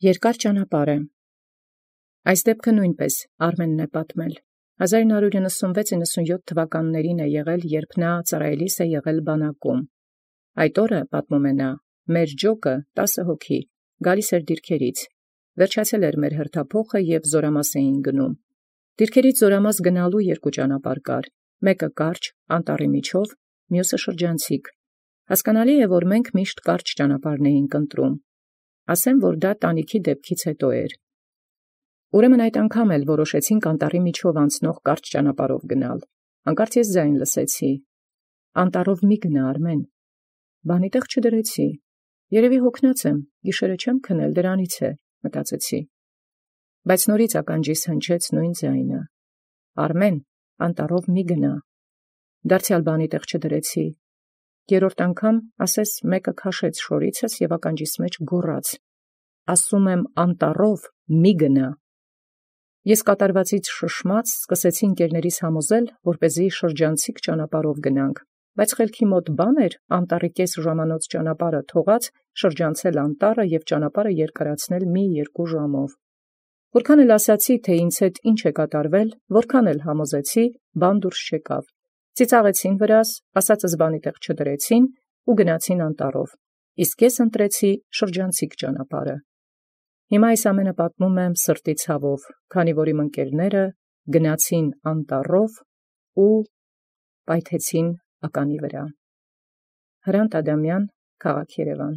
Երկար ճանապարհ է։ Այս դեպքը նույնպես Արմենն է պատմել։ 1996-97 թվականներին է եղել, երբ նա ծառայելիս է եղել բանակում։ Այդ օրը, պատմում է նա, մեր ջոկը 10 հոգի գալիս էր դիրքերից, վերջացել էր մեր հրթափոխը և զորամաս էին գնում։ Դիրքերից զորամաս գնալու երկու ճանապարհ կար, մեկը կարճ, անտառի միջով, մյուսը շրջանցիկ։ Հասկանալի է, որ մենք միշտ կարճ ճանապարհն էինք ընտրում։ Ասեմ, որ դա տանիքի դեպքից հետո էր։ Ուրեմն այդ անգամ էլ որոշեցինք անտառի միջով անցնող կարճ ճանապարհով գնալ։ Հանկարծ ես ձայն լսեցի. «Անտառով մի գնա, Արմեն»։ Բանի տեղ չդրեցի։ Երևի հոգնած եմ, գիշերը չեմ քնել, դրանից է, մտածեցի։ Բայց նորից ականջիս հնչեց նույն ձայնը. «Արմեն, անտառով մի գնա»։ Դարձյալ բանի տեղ չդրեցի։ Երրորդ անգամ, ասես մեկը քաշեց շորիցս և ականջիս մեջ գոռաց. «Ասում եմ, անտառով մի գնա»։ Ես կատարվածից շշմած սկսեցի ընկերներիս համոզել, որպեսզի շրջանցիկ ճանապարհով գնանք, բայց խելքի մոտ բան էր անտառի կես ժամանոց ճանապարհը թողած շրջանցել անտառը և ճանապարհը երկարացնել մի երկու ժամով։ Որքան էլ ասացի, թե ինձ հետ ինչ է կատարվել, որքան էլ համոզեցի, բան դուրս չեկավ։ Ծիծաղեցին վրաս, ասածս բանի տեղ չդրեցին ու գնացին անտառով, իսկ ես ընտրեցի շրջանցիկ ճանապարհը։ Հիմա այս ամենը պատմում եմ սրտի ցավով, քանի որ իմ ընկերները գնացին անտառով ու պայթեցին ականի վրա։ Հրանտ Ադամյան, քաղաք Երևան։